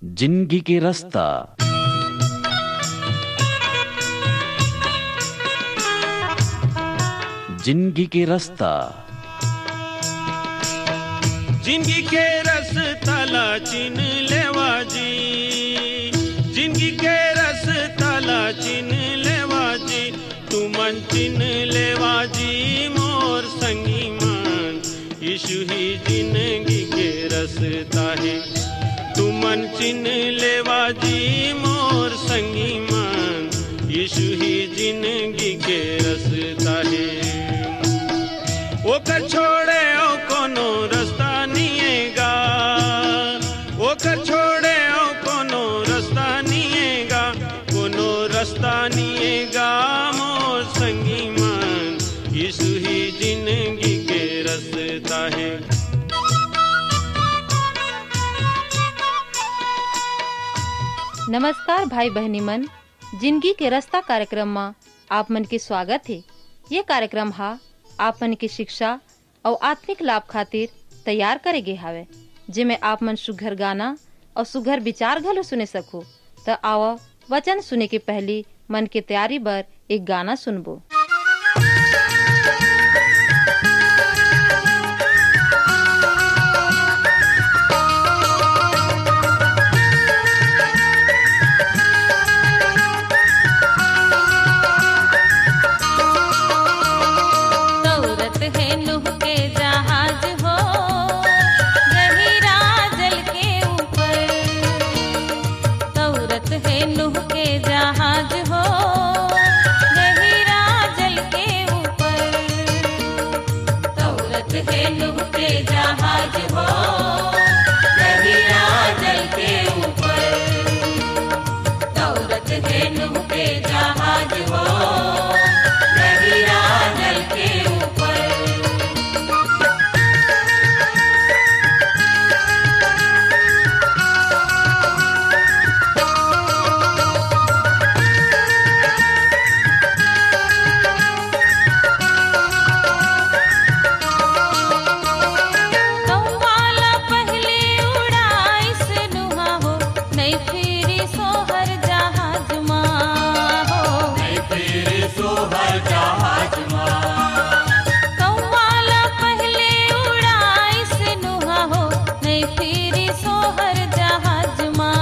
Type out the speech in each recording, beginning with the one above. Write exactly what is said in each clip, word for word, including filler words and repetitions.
जिंदगी के रस्ता। जिंदगी के रस्ता। जिंदगी के रस्ता ला चिन लेवा जी, जिंदगी के रस्ता ला चिन लेवा जी, तुमन चिन लेवा जी मोर संगी मन, यीशु ही जिंदगी के रस्ता हे। तुमन चिन लेवा जी मोर संगी मन, यीशु ही जिंदगी के रस्ता हे। ओकर छोड़े अउ कोनो रस्ता निये गा, ओकर छोड़े अउ कोनो रस्ता निये गा, कोनो रस्ता निये गा मोर संगी मन, यीशु ही जिंदगी के रस्ता हे। नमस्कार भाई बहिनी मन, जिंदगी के रस्ता कार्यक्रम म आप मन के स्वागत हे। ये कार्यक्रम हा आप मन के शिक्षा अउ आत्मिक लाभ खातिर तैयार करे गे हावय, जेमे आप मन सुघर गाना अउ सुघर विचार घलो सुने सकहू। त आवा, वचन सुने के पहिली मन के तैयारी बर एक गाना सुनबो। दौरत हे नूह के जहाज हो, गहिरा जल के ऊपर। दौरत हे नूह के जहाज हो, गहिरा जल के ऊपर। दौरत हे नूह के जहाज हो, गहिरा जल के ऊपर। दौरत हे नूह के जहाज हो, गहिरा जल के ऊपर। कौआ ला पहली उड़ाइस नूहा हो, नइ फिरिस ओहर जहाज मा हो। नइ फिरिस ओहर जहाज मा। कौआ ला पहली उड़ाइस नूहा हो, नइ फिरिस ओहर जहाज मा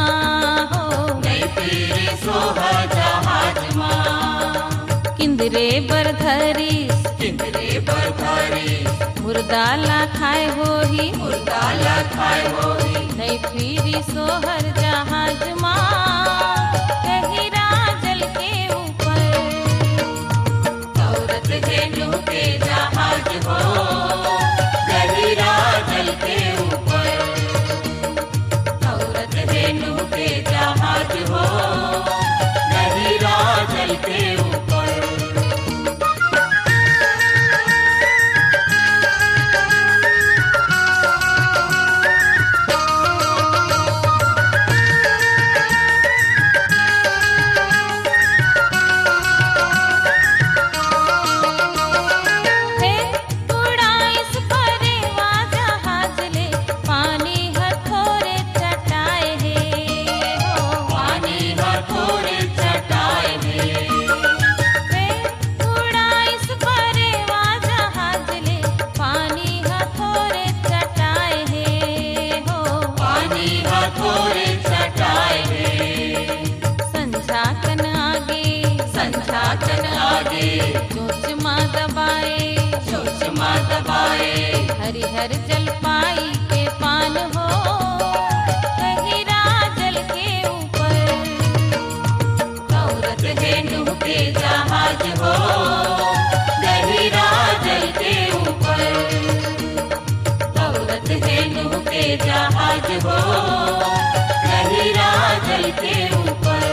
हो। नइ फिरिस ओहर जहाज मा। किंदरे बर धरिस, किंदरे बर धरिस। मुर्दा ला खाए होही, मुर्दा ला खाए होही। नइ फिरिस ओहर जहाज मा, गहिरा जल के ऊपर। दौरत हे नूह के जहाज हो, गहिरा जल के ऊपर। दौरत हे नूह के जहाज हो, गहिरा जल के ऊपर। हे उड़ाइस परेवा जहाज ले, पानी ह थोरे चटाए हे हो। पानी ह थोरे चटाए हे। हे उड़ाइस परेवा जहाज ले, पानी ह थोरे चटाए हे हो। पानी ह थोरे चटाए हे। संझा कन आगे, संझा कन आगे। चोंच मा दबाए, चोंच मा दबाए। हरिहर जलपाई के पान हो, गहिरा जल के ऊपर। दौरत हे नूह के जहाज हो, गहिरा जल के ऊपर। दौरत हे नूह के जहाज हो, गहिरा जल के ऊपर।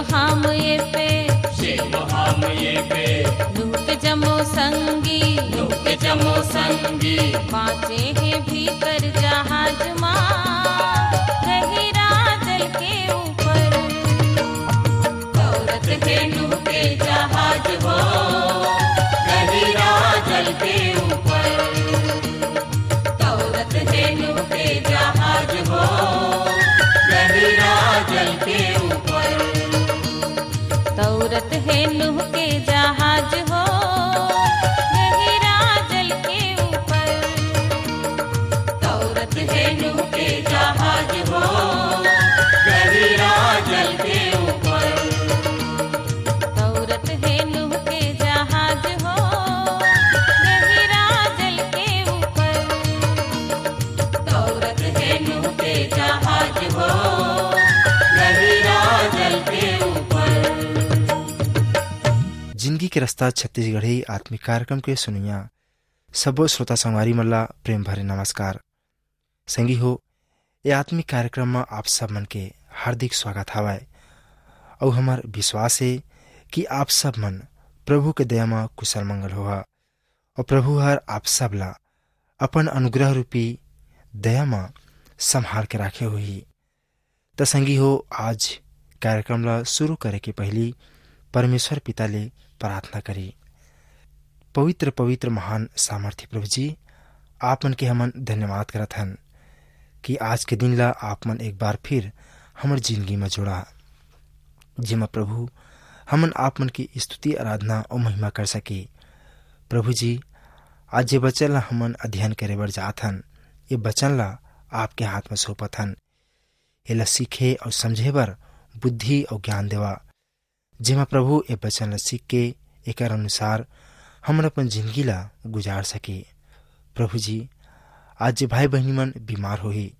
हम ये पे, शेव हम ये पे, नूह के जम्मो संगी, नूह के जम्मो संगी, बाँचे हे भीतर जहाज मा, गहिरा जल के ऊपर। दौरत हे नूह के जहाज हो, गहिरा जल के ऊपर। दौरत हे नूह के जहाज हो, गहिरा जल के ऊपर। दौरत हे नूह के जहाज हो, गहिरा जल के ऊपर। दौरत हे नूह के जहाज हो, गहिरा जल के ऊपर। दौरत हे नूह के जहाज हो, गहिरा जल के ऊपर। दौरत हे नूह के जहाज हो, गहिरा जल के ऊपर। जिंदगी के रास्ता छत्तीसगढ़ी आत्मिक कार्यक्रम के सुनइया सबो श्रोता संगवारी मन ला प्रेम भरे नमस्कार। संगी हो, ये आत्मिक कार्यक्रम म आप सब मन के हार्दिक स्वागत हवय। अउ हमर विश्वास हे कि आप सब मन प्रभु के दया म कुशल मंगल होहा, अउ प्रभु हर आप सब ला अपन अनुग्रह रूपी दया म संभाल के राखे होही। त संगी हो, आज कार्यक्रम ला शुरू करे के पहिली परमेश्वर पिता ले प्रार्थना करी। पवित्र, पवित्र, महान, सामर्थी प्रभु जी, आप मन के हमन धन्यवाद करत हन कि आज के दिन ला आप मन एक बार फिर हमर जिंदगी म जोड़ा, जेमा प्रभु हमन आप मन की स्तुति, आराधना अउ महिमा कर सके। प्रभु जी, आज जे वचन ला हमन अध्ययन करे बर जात हन, ये वचन ला आपके हाथ म सौंपत हन। एला सीखे अउ समझे बर बुद्धि अउ ज्ञान देवा, जेमा प्रभु ए वचन ला सीख के एकर अनुसार हमन अपन जिंदगी ला गुजार सके। प्रभु जी, आज जे भाई बहिनी मन बीमार होही,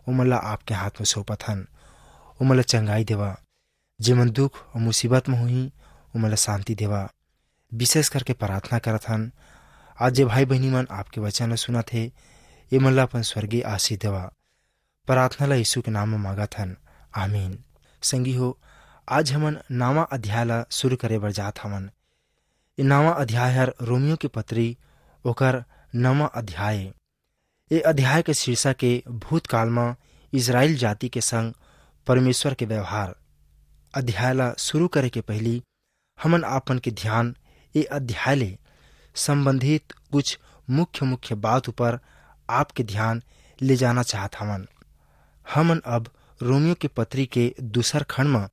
ओमन ला आपके हाथ म सौंपत हन, ओमन ला चंगाई देवा। जेमन दुख अउ मुसीबत म होही, ओमन ला शांति देवा। विशेष करके प्रार्थना करत हन, आज जे भाई बहिनी मन आपके वचन ला सुनत हे, एमन ला अपन स्वर्गीय आशीष देवा। प्रार्थना ला यीशु के नाम म मांगत हन, आमीन। संगी हो, आज हमन नवा अध्याय ला शुरू करे बर जात हवन। ये नवा अध्याय हर रोमियो के पत्री, ओकर नवा अध्याय ए। ए अध्याय के शीर्षक ए भूतकाल म इस्राएल जाति के संग परमेश्वर के व्यवहार। अध्याय ला शुरू करे के पहिली हमन आपन के ध्यान ए अध्याय ले संबंधित कुछ मुख्य-मुख्य बात ऊपर आपके ध्यान ले जाना चाहत हवन। हमन अब रोमियो के पत्री के दूसर खंड म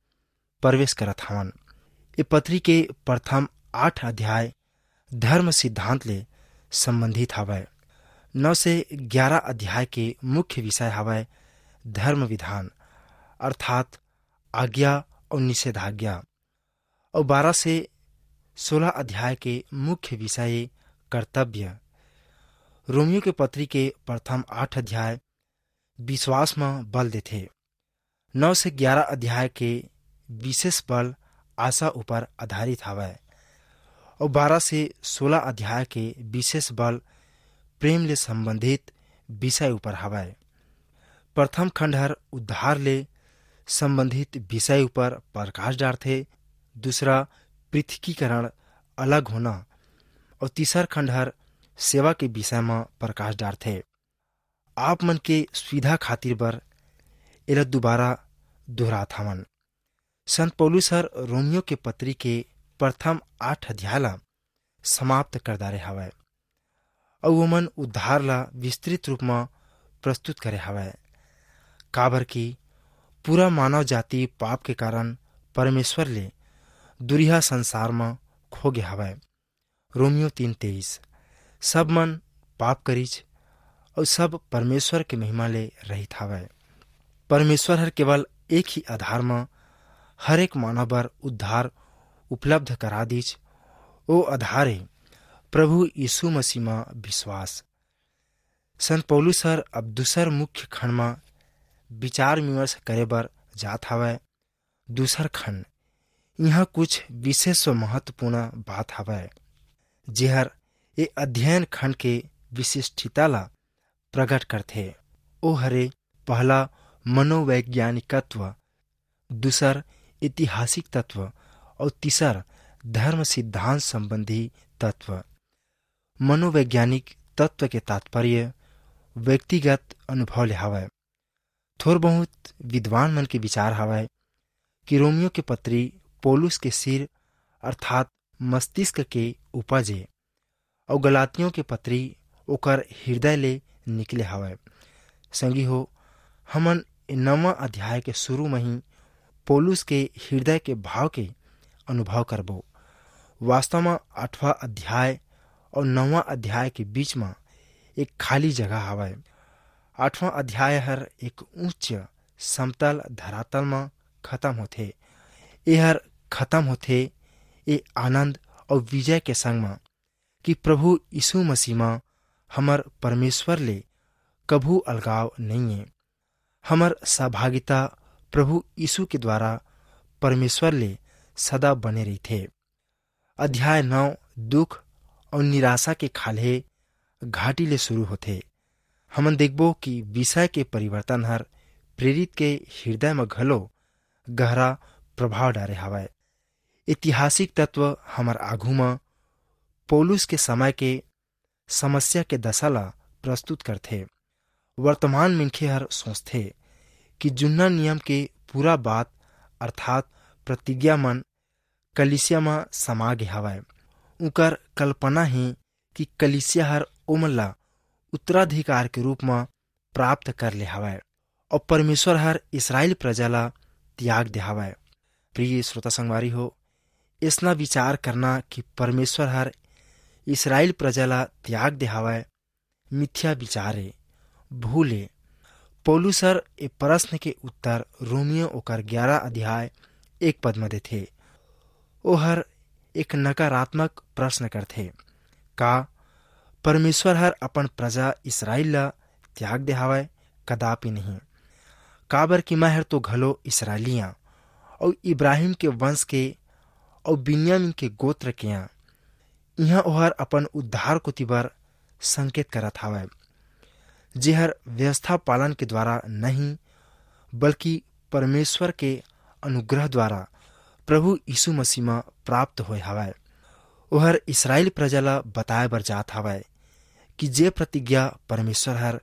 प्रवेश करत हवन। ए पत्री के प्रथम आठ अध्याय धर्म सिद्धांत ले संबंधित हवय। नौ से ग्यारह अध्याय के मुख्य विषय हवय धर्म विधान, अर्थात आज्ञा अउ निषेधाज्ञा, अउ बारह से सोलह अध्याय के मुख्य विषय कर्तव्य। रोमियो के पत्री के प्रथम आठ अध्याय विश्वास म बल देथे। नौ से ग्यारह अध्याय के विशेष बल आशा ऊपर आधारित हवय, अउ बारह से सोलह अध्याय के विशेष बल प्रेम ले संबंधित विषय ऊपर हवय। प्रथम खंड हर उद्धार ले संबंधित विषय ऊपर प्रकाश डारथे, दूसरा पृथकीकरण, अलग होना, अउ तीसर खंड हर सेवा के विषय म प्रकाश डारथे। आप मन के सुविधा खातिर बर एला दोबारा दोहरात हवन। संत पौलुस हर रोमियो के पत्री के प्रथम आठ अध्याय ला समाप्त कर डारे हवय, अउ ओमन उद्धार ला विस्तृत रूप म प्रस्तुत करे हवय, काबर कि पूरा मानव जाति पाप के कारण परमेश्वर ले दुरिहा संसार म खो गे हवय। रोमियो तीन तेईस, सब मन पाप करिच, अउ सब परमेश्वर के महिमा ले रहित हवय। परमेश्वर हर केवल एक ही आधार म हर एक मानव बर उद्धार उपलब्ध करा दीच। ओ आधार हे प्रभु यीशु मसीह म विश्वास। संत पौलुस हर अब दूसर मुख्य खंड म विचार विमर्श करे बर जात हवय। दूसर खंड, इहाँ कुछ विशेष व महत्वपूर्ण बात हवय, जेहर ए अध्ययन खंड के विशिष्टता ला प्रकट करथे। ओ हरे पहला मनोवैज्ञानिकत्व, दूसर ऐतिहासिक तत्व और तीसर धर्म सिद्धांत संबंधी तत्व। मनोवैज्ञानिक तत्व के तात्पर्य व्यक्तिगत अनुभव ले हवय। थोर बहुत विद्वान मन के विचार हवय कि रोमियो के पत्री पौलुस के सिर अर्थात मस्तिष्क के उपज ए, अउ गलातियों के पत्री ओकर हृदय ले निकले हवय। संगी हो, हमन ए नवां अध्याय के शुरू म ही पौलुस के हृदय के भाव के अनुभव करबो। वास्तव म आठवां अध्याय और नवां अध्याय के बीच म एक खाली जगह हवय। आठवां अध्याय हर एक उच्च समतल धरातल म खत्म होथे। एहर खत्म होथे ए आनंद और विजय के संग म कि प्रभु यीशु मसीह म हमर परमेश्वर ले कभू अलगाव नइये। हमर सहभागिता प्रभु यीशु के द्वारा परमेश्वर ले सदा बने रहिथे। अध्याय नौ दुख और निराशा के खाल्हे घाटी ले शुरू होथे। हमन देखबो कि विषय के परिवर्तन हर प्रेरित के हृदय म घलो गहरा प्रभाव डारे हवय। ऐतिहासिक तत्व हमर आघू म पौलुस के समय के समस्या के दशा ला प्रस्तुत करथे। वर्तमान मनखे हर सोचथे कि जुन्ना नियम के पूरा बात अर्थात प्रतिज्ञा मन कलीसिया म समा गे हवय। उंकर कल्पना हे कि कलीसिया हर ओमन ला उत्तराधिकार के रूप म प्राप्त कर ले हवय और परमेश्वर हर इसराइल प्रजा ला त्याग दे हवय। प्रिय श्रोता संगवारी हो, ऐसना विचार करना कि परमेश्वर हर इसराइल प्रजा ला त्याग दे हवय, मिथ्या विचार ए, भूल ए। पौलुस हर ए प्रश्न के उत्तर रोमियो ओकर ग्यारह अध्याय एक पद म देथे। ओहर एक नकारात्मक प्रश्न करथे, का परमेश्वर हर अपन प्रजा इसराइल ला त्याग दे हवय? कदापि नहीं। काबर कि मैं हर तो घलो इसराइली आं, अउ इब्राहिम के वंश के, अउ बिन्यामीन के गोत्र के आं। इहां ओहर अपन उद्धार कोति बर संकेत करत हवय, जेहर व्यवस्था पालन के द्वारा नहीं, बल्कि परमेश्वर के अनुग्रह द्वारा प्रभु यीशु मसीह म प्राप्त होय हवय। ओहर इसराइल प्रजा ला बताए बर जात हवय कि जे प्रतिज्ञा परमेश्वर हर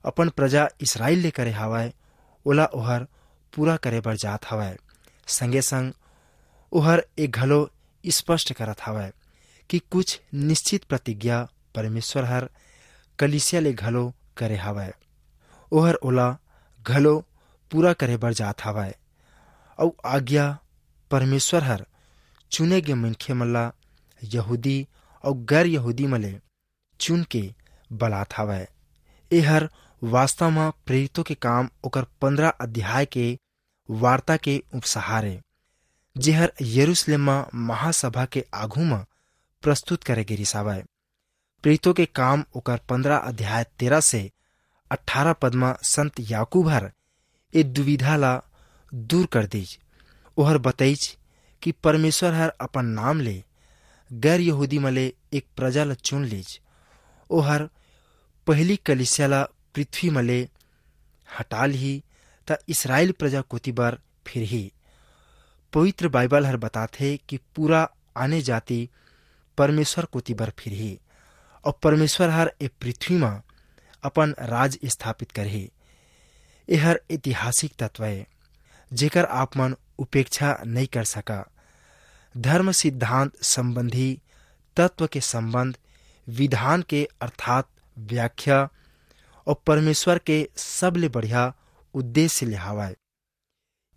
अपन प्रजा इसराइल ले करे हवय, ओला ओहर पूरा करे बर जात हवय। संगे संग ओहर ए घलो स्पष्ट करत हवय कि कुछ निश्चित प्रतिज्ञा परमेश्वर हर कलीसिया ले घलो करे हवय, ओहर ओला घलो पूरा करे बर जात हवय। अउ आज्ञा परमेश्वर हर चुने गे मनखे मन ला यहूदी अउ गैर यहूदी मन ले चुन के बलात हवय। एहर वास्तव म प्रेरितों के काम ओकर पंद्रह अध्याय के वार्ता के उपसंहार ए, जेहर यरूशलेम म महासभा के आघू म प्रस्तुत करे गे रिस हवय। प्रेरितों के काम ओकर पंद्रह अध्याय तेरह से अठारह पद म संत याकूब हर ए दुविधा ला दूर कर दीज। ओहर बतईच कि परमेश्वर हर अपन नाम ले गैर यहूदी म ले एक प्रजा ला चुन लीज। ओहर पहिली कलीसिया ला पृथ्वी म ले हटा लिही, त इसराइल प्रजा कोति बर फिरही। पवित्र बाइबल हर बताथे कि पूरा आने जाति परमेश्वर कोति बर फिरही, अउ परमेश्वर हर ए पृथ्वी म अपन राज स्थापित करही। एहर ऐतिहासिक तत्व ए, जेकर आप मन उपेक्षा नइ कर सका। धर्म सिद्धांत संबंधी तत्व के संबंध विधान के अर्थात व्याख्या अउ परमेश्वर के सबले बढ़िया उद्देश्य ले हावय।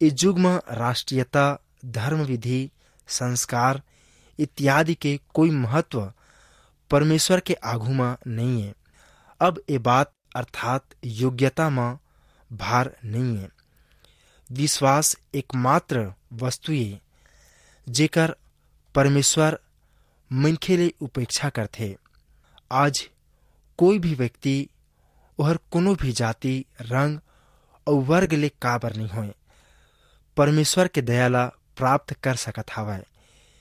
ए युग म राष्ट्रीयता, धर्म विधि, संस्कार इत्यादि के कोई महत्व परमेश्वर के आघू म नइये। अब ए बात अर्थात योग्यता म भार नइये। विश्वास एकमात्र वस्तु ये, जेकर परमेश्वर मनखे ले उपेक्षा करथे। आज कोई भी व्यक्ति, ओहर कोनो भी जाति, रंग अउ वर्ग ले काबर नइ होय, परमेश्वर के दया ला प्राप्त कर सकत हावय।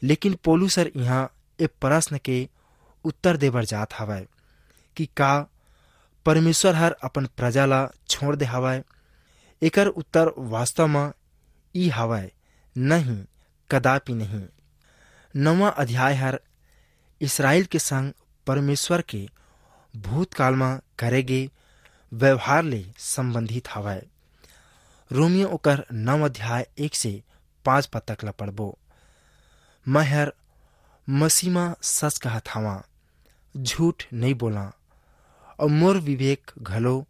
लेकिन पौलुस हर इहाँ ए प्रश्न के उत्तर देबर जात हावय कि का परमेश्वर हर अपन प्रजा ला छोड़ दे हावय? एकर उत्तर वास्तव म ई हावय, नहीं, कदापि नहीं। नवा अध्याय हर इसराइल के संग परमेश्वर के भूतकाल म करे गे व्यवहार ले संबंधित हवय। रोमियो ओकर नव अध्याय एक से पाँच पद तक ल पढ़बो। मैं हर मसीह म सच कहत हवं, झूठ नइ बोलंव, अउ मोर विवेक घलो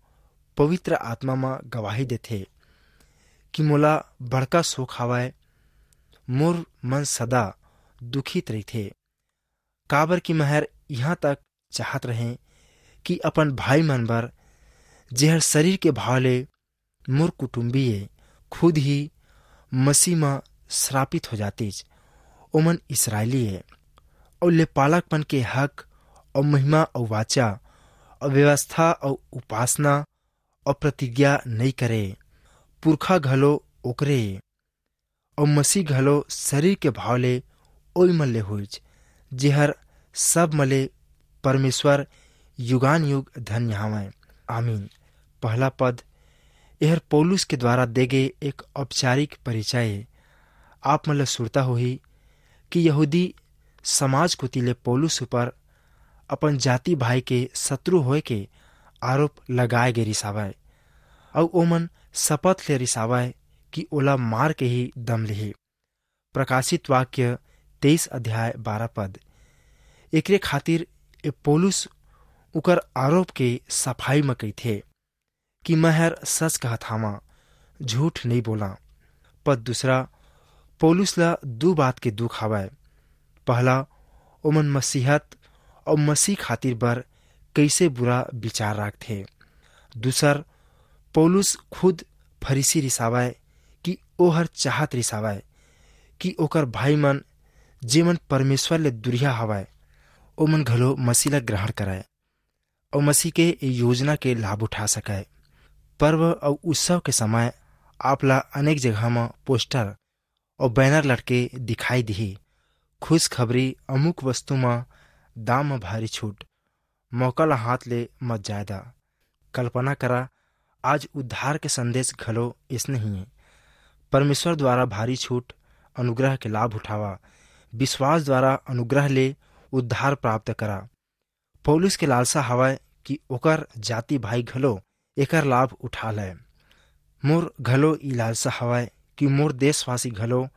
पवित्र आत्मा म गवाही देथे कि मोला बड़का शोक हवय, मोर मन सदा दुखित रहिथे, काबर कि मैं हर इहाँ तक चाहत रहें कि अपन भाई मन बर, जेहर शरीर के भाव ले मोर कुटुम्बी ए, खुद ही मसीह म श्रापित हो जातिस। ओमन इसराइली ए, अउ लेपालकपन के हक, अउ महिमा, अउ वाचा, अउ व्यवस्था, अउ उपासना, अउ प्रतिज्ञा नइ करे। पुरखा घलो ओकरे ए, अउ मसीह घलो शरीर के भाव ले ओई मन ले होइच, जेहर सब मन ले परमेश्वर युगान युग धन्य हवय। आमीन। पहला पद, एहर पौलुस के द्वारा दे गे एक औपचारिक परिचय ए। आप मन ल सुरता होही कि यहूदी समाज कोति ले पौलुस ऊपर अपन जाति भाई के शत्रु होए के आरोप लगाए गे रिसावय, अउ ओमन शपथ ले रिसावय कि ओला मार के ही दम लिही। प्रकाशित वाक्य तेईस अध्याय बारह पद। एकरे खातिर ए पौलुस उकर आरोप के सफाई म कहिथे कि मैं हर सच कहत हावं, झूठ नइ बोलंव। पद दूसरा, पौलुस ला दू बात के दुख हावय। पहला, ओमन मसीहत अउ मसीह खातिर बर कइसे बुरा विचार राखथे। दूसर, पौलुस खुद फरीसी रिसावय कि ओहर चाहत रिसावय कि ओकर भाई मन, जेमन परमेश्वर ले दुरिहा हवय, ओमन घलो मसीह ला ग्रहण करय अउ मसीह के ए योजना के लाभ उठा सकय। पर्व अउ उत्सव के समय आप ला अनेक जगह म पोस्टर अउ बैनर लटके दिखाई दिही, "खुशखबरी, अमुक वस्तु म दाम म भारी छूट, मौका ला हाथ ले मत जाए दा।" कल्पना करा, आज उद्धार के संदेश घलो अइसने ही हे। परमेश्वर द्वारा भारी छूट, अनुग्रह के लाभ उठावा। विश्वास द्वारा अनुग्रह ले उद्धार प्राप्त करा। पौलुस के लालसा हवय कि ओकर जाति भाई घलो एकर लाभ उठा लय। मोर घलो ई लालसा हवय कि मोर देशवासी घलो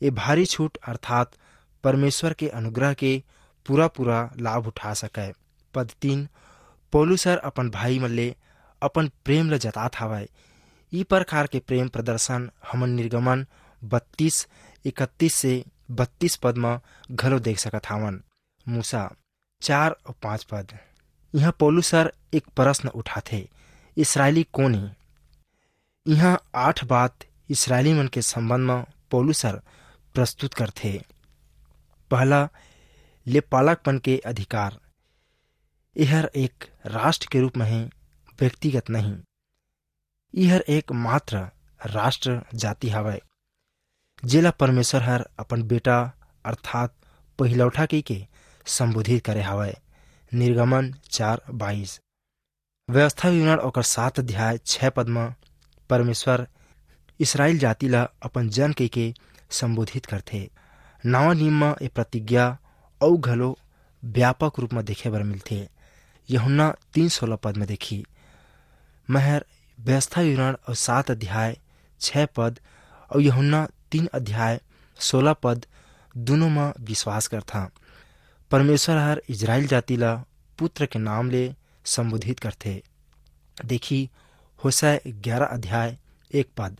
ए भारी छूट अर्थात परमेश्वर के अनुग्रह के पूरा-पूरा लाभ उठा सकय। पद तीन, पौलुस हर अपन भाई मन ले अपन प्रेम ल जतात हवय। ई प्रकार के प्रेम प्रदर्शन हमन निर्गमन बत्तीस, इकतीस से बत्तीस पद म घलो देख सकत हावन। मूसा चार अउ पाँच पद। इहाँ पौलुस हर एक प्रश्न उठाथे, "इसराइली कोन हे?" इहाँ आठ बात इसराइली मन के संबंध म पौलुस हर प्रस्तुत करथे। पहला, लेपालकपन के अधिकार। एहर एक राष्ट्र के रूप म हे, व्यक्तिगत नहीं। इहर एकमात्र राष्ट्र जाति हवय, जेला परमेश्वर हर अपन बेटा अर्थात पहिलौठा कहिके संबोधित करे हवय। निर्गमन चार बाईस। व्यवस्था विवरण ओकर सात अध्याय छह पद म परमेश्वर इसराइल जाति ला अपन जन कहिके संबोधित करथे। नवा नियम म ए प्रतिज्ञा अउ घलो व्यापक रूप म देखे बर मिलथे। यूहन्ना तीन सोलह पद म देखी, "मैं हर व्यवस्था विवरण अउ सात अध्याय छह पद अउ यूहन्ना तीन अध्याय सोलह पद दुनों म विश्वास करथंव।" परमेश्वर हर इजराइल जाति ला पुत्र के नाम ले संबोधित करथे। देखी, होशे ग्यारह अध्याय एक पद,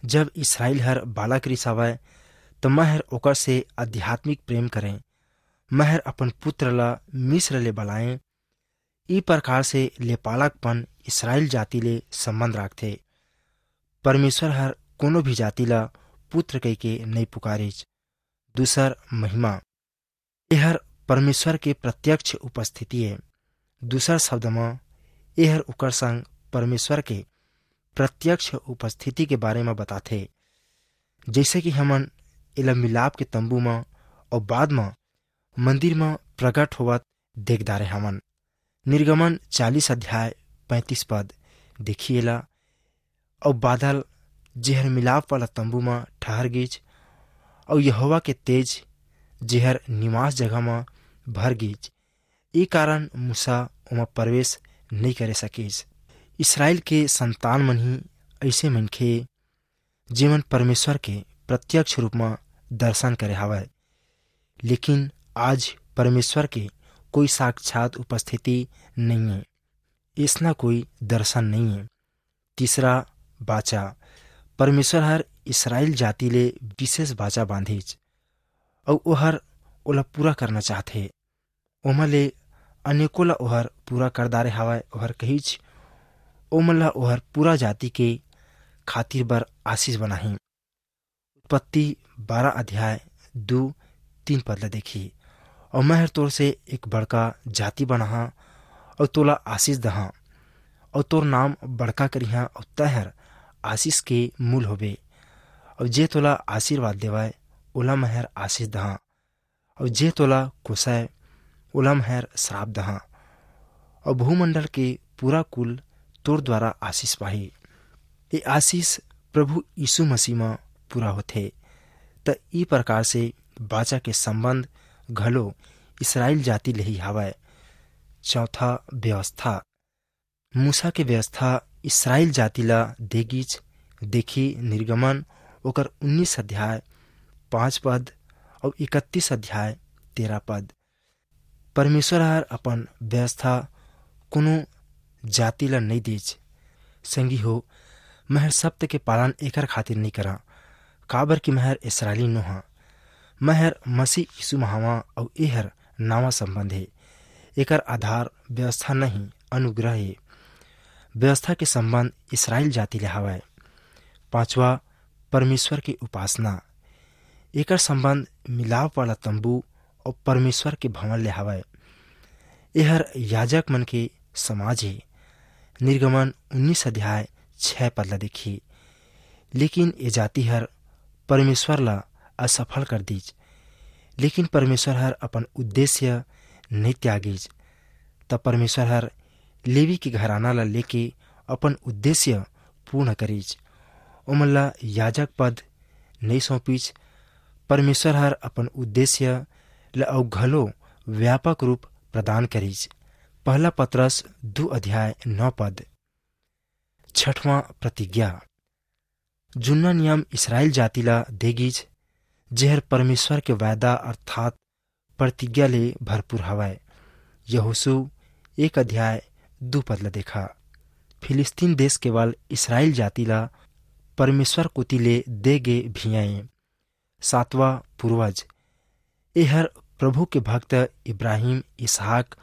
"जब इसराइल हर बालक रिसावय, त मैं हर ओकर से आध्यात्मिक प्रेम करें। मैं हर अपन पुत्र ला मिस्र ले बलाएं।" ई प्रकार से लेपालकपन इसराइल जाति ले संबंध राखथे। परमेश्वर हर कोनो भी जाति ला पुत्र कहिके नइ पुकारिच। दूसर महिमा, एहर परमेश्वर के प्रत्यक्ष उपस्थिति ए। दूसर शब्द म, एहर ओकर संग परमेश्वर के प्रत्यक्ष उपस्थिति के बारे म बताथे, जइसे कि हमन एला मिलाप के तंबू म अउ बाद म मंदिर म प्रगट होवत देख डारे हवन। निर्गमन चालीस अध्याय पैंतीस पद, देखी एला, "अउ बादल, जेहर मिलाप वाला तंबू म ठहर गीच, अउ यहोवा के तेज, जेहर निवास जगह म भर गीच, ए कारण मूसा ओमा प्रवेश नइ करे सकिस। इसराइल के संतान मन ही अइसे मनखे, जेमन परमेश्वर के प्रत्यक्ष रूप म दर्शन करे हावय, लेकिन आज परमेश्वर के कोई साक्षात उपस्थिति नइये। अइसना कोई दर्शन नइये। तीसरा, बाचा। परमेश्वर हर इसराइल जाति ले विशेष बाचा बांधिच, अउ ओहर ओला पूरा करना चाहथे। ओमा ले अनेकों ला ओहर पूरा कर डारे हावय। ओहर कहिच, ओमन ला ओहर पूरा जाति के खातिर बर आशीष बनाही। उत्पत्ति बारह अध्याय दू तीन पद ला देखी। अउ मैं हर तोर से एक बड़का जाति बनाहा, अउ तोला आशीष दहा, अउ तोर नाम बड़का करिहा, अउ तैं हर आशीष के मूल होबे। अउ जे तोला आशीर्वाद देवय, ओला मैं हर आशीष दहा, अउ जे तोला कोसय, ओला मैं हर श्राप दहा। अउ भूमंडल के पूरा कुल तोर द्वारा आशीष पाही। ए आशीष प्रभु यीशु मसीह म पूरा होथे। त ई प्रकार से बाचा के संबंध घलो इसराइल जाति ले ही हावय। चौथा, व्यवस्था। मूसा के व्यवस्था इसराइल जाति ला देगीच। देखी निर्गमन ओकर उन्नीस अध्याय पाँच पद अउ इकतीस अध्याय तेरह पद। परमेश्वर हर अपन व्यवस्था कोनो जाति ला नइ देच। संगी हो, मैं हर शब्द के पालन एकर खातिर नइ करा, काबर कि मैं हर इसराइली नोहा। मैं हर मसीह यीशु म हावं अउ एहर नवा संबंध हे। एकर आधार व्यवस्था नहीं, अनुग्रह हे। व्यवस्था के संबंध इसराइल जाति ले हावय। पांचवा, परमेश्वर के उपासना। एकर संबंध मिलाप वाला तंबू अउ परमेश्वर के भवन ले हावय। एहर याजक मन के समाज हे। निर्गमन उन्नीस अध्याय छह पद ला देखी। लेकिन ए जाति हर परमेश्वर ला असफल कर दीच। लेकिन परमेश्वर हर अपन उद्देश्य नइ त्यागिच। तब परमेश्वर हर लेवी के घराना ला लेके अपन उद्देश्य पूर्ण करिच। ओमन ला याजक पद नइ सौंपिच। परमेश्वर हर अपन उद्देश्य ला अउ घलो व्यापक रूप प्रदान करिच। पहला पतरस दू अध्याय नौ पद। छठवां, प्रतिज्ञा। जुन्ना नियम इसराइल जाति ला देगीच, जेहर परमेश्वर के वायदा अर्थात प्रतिज्ञा ले भरपूर हवय। यहोशू एक अध्याय दू पद ला देखा। फिलिस्तीन देश केवल इसराइल जाति ला परमेश्वर कोति ले दे गे भियाए। सातवां, पूर्वज। एहर प्रभु के भक्त इब्राहिम, इसहाक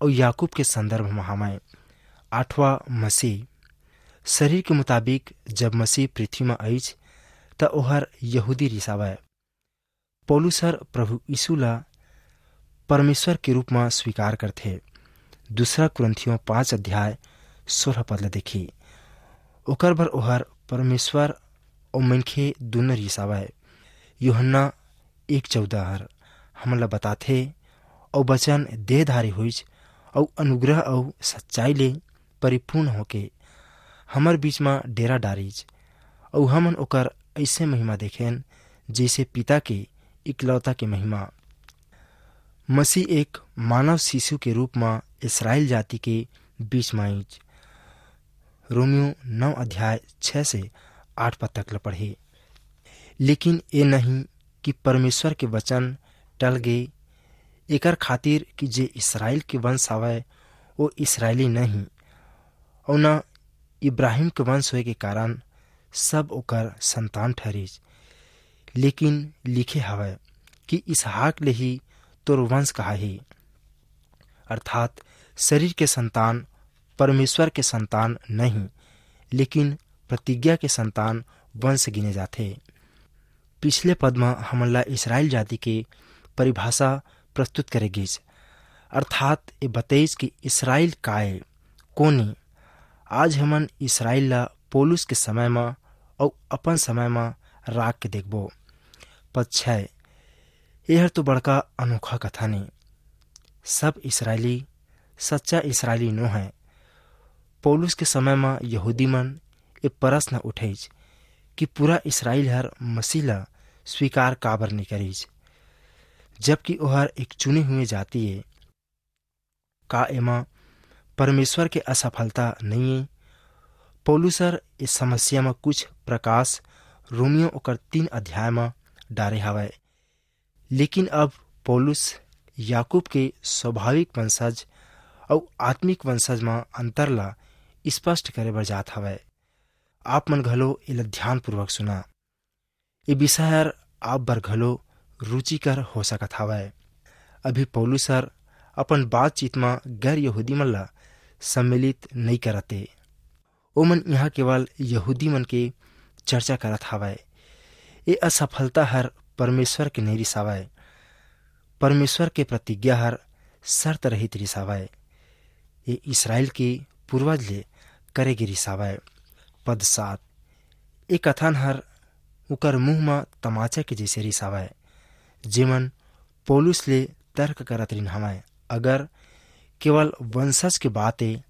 अउ याकूब के संदर्भ म हावय। आठवां, मसीह। शरीर के मुताबिक जब मसीह पृथ्वी म आइच, त ओहर यहूदी रिसावय। पौलुस हर प्रभु यीशु ला परमेश्वर के रूप म स्वीकार करथे। दूसरा कुरिन्थियों पाँच अध्याय सोलह पद ला देखी। ओकर बर ओहर परमेश्वर अउ मनखे दुनों रिसावय। यूहन्ना एक चौदह हर हमन ला बताथे, "अउ वचन देहधारी होइच, अउ अनुग्रह अउ सच्चाई ले परिपूर्ण होके हमर बीच म डेरा डारिच, अउ हमन ओकर अइसे महिमा देखेन, जइसे पिता के इकलौता के महिमा।" मसीह एक मानव शिशु के रूप म इसराइल जाति के बीच म आइच। रोमियो नौ अध्याय छह से आठ पद तक ल पढ़े। लेकिन ए नहीं कि परमेश्वर के वचन टल गे, एकर खातिर कि जे इसराइल के वंश हवय, वो इसराइली नहीं, अउ न इब्राहिम के वंश होए के कारण सब ओकर संतान ठहरिस। लेकिन लिखे हवय कि इसहाक ले ही तोर वंश कहाही, अर्थात शरीर के संतान परमेश्वर के संतान नहीं, लेकिन प्रतिज्ञा के संतान वंश गिने जाथे। पिछले पद म हमन ला इसराइल जाति के परिभाषा प्रस्तुत करे गिस, अर्थात ये बतइस कि इसराइल काय, कोन ए। आज हमन इसराइल ला पौलुस के समय म अउ अपन समय म राख के देखबो। पद छह, एहर तो बड़का अनोखा कथन ए। सब इसराइली सच्चा इसराइली नो है। पौलुस के समय म यहूदी मन ए प्रश्न उठेच कि पूरा इसराइल हर मसीह ला स्वीकार काबर नइ करिस, जबकि ओहर एक चुने हुए जाति ए? का एमा परमेश्वर के असफलता नइये? पौलुस हर इस समस्या म कुछ प्रकाश रोमियो ओकर तीन अध्याय म डारे हवय। लेकिन अब पौलुस याकूब के स्वाभाविक वंशज अउ आत्मिक वंशज म अंतर ला स्पष्ट करे बर जात हवय। आप मन घलो एला ध्यानपूर्वक सुना। ये विषय हर आप बर घलो रुचिकर हो सकत हवय। अभी पौलुस हर अपन बातचीत म गैर यहूदी मन ला सम्मिलित नइ करत ए। ओमन इहाँ केवल यहूदी मन के चर्चा करत हवय। ये असफलता हर परमेश्वर के नइ रिसावय। परमेश्वर के प्रतिज्ञा हर शर्त रहित रिसावय। ये इसराइल के पूर्वज ले करे गे रिसावय। पद सात, ये कथन हर उकर मुंह म तमाचा के जैसे रिसावय, जेमन पौलुस ले तर्क करत रिन हवय। अगर केवल वंशज के बात ए,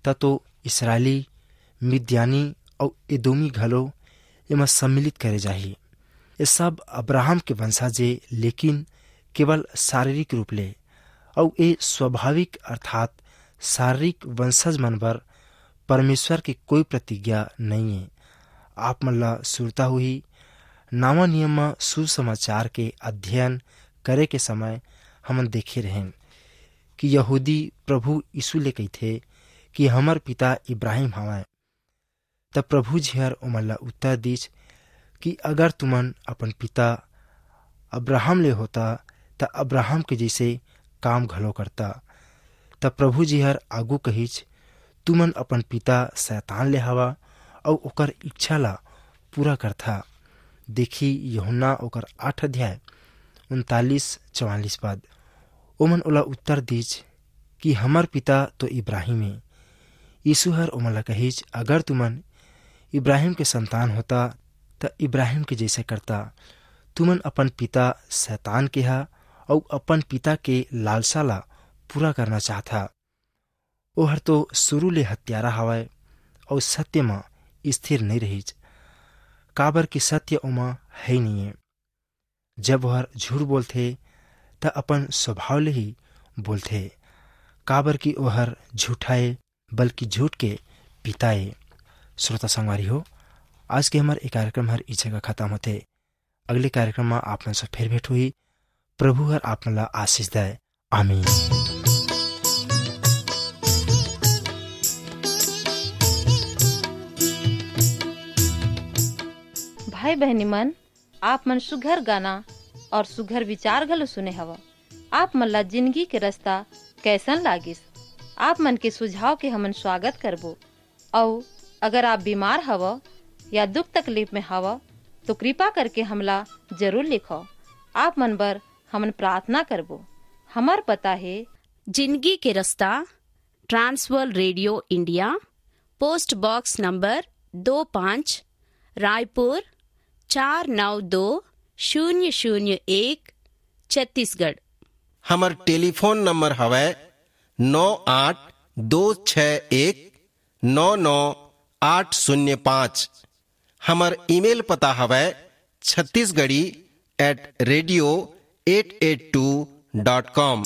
त तो इसराइली, मिद्यानी अउ एदोमी घलो एमा सम्मिलित करे जाही। ये सब अब्राहम के वंशज ए, लेकिन केवल शारीरिक रूप ले, अउ ये स्वाभाविक अर्थात शारीरिक वंशज मन बर परमेश्वर के कोई प्रतिज्ञा नइये। आप मन ला सुरता होही, नवा नियम म सुसमाचार के अध्ययन करे के समय हमन देखे रहेन कि यहूदी प्रभु यीशु ले कहिथे कि हमर पिता इब्राहिम हवय। तब प्रभु जी हर ओमन ला उत्तर दीस कि अगर तुमन अपन पिता अब्राहम ले होता, त अब्राहम के जैसे काम घलो करता। तब प्रभु जी हर आगू कहिस, तुमन अपन पिता शैतान ले हवा अउ ओकर इच्छा ला पूरा करथा। देखी यूहन्ना ओकर आठ अध्याय उनतालीस चवालीस पद। ओमन ओला उत्तर दीस कि हमर पिता तो इब्राहिम ए। यीशु हर ओमन ला कहिस, अगर तुमन इब्राहिम के संतान होता, त इब्राहिम के जैसे करता। तुमन अपन पिता शैतान के हा अउ अपन पिता के लालसा ला पूरा करना चाहथा। ओहर तो शुरू ले हत्यारा हवय अउ सत्य म स्थिर नइ रहिस, काबर कि सत्य ओमा है नइये। जब ओहर झूठ बोलथे, त अपन स्वभाव ले ही बोलथे, काबर कि ओहर झूठा ए, बल्कि झूठ के पिता ए। श्रोता संगवारी हो, आज के हमर ए कार्यक्रम हर ई जगह खत्म होथे। अगले कार्यक्रम म आप मन से फिर भेंट होही। प्रभु हर आप मन ला आशीष दय। आमीन। भाई बहनी मन, आप मन सुघर गाना और सुघर विचार घलो सुने हव। आप मन ला जिंदगी के रास्ता कैसन लागिस? आप मन के सुझाव के हमन स्वागत करबो। अउ अगर आप बीमार हव या दुख तकलीफ में हव, तो कृपा करके हमला जरूर लिखव। आप मन बर हमन प्रार्थना करबो। हमर पता हे जिंदगी के रास्ता, Trans World radio India, post box number दो पाँच, रायपुर चार नौ दो शून्य शून्य एक, छत्तीसगढ़। हमर टेलीफोन नंबर हवय नौ आठ दो छः एक नौ नौ आठ शून्य पाँच। हमर ईमेल पता हवय Chhattisgarhi at radio eight eight two dot com।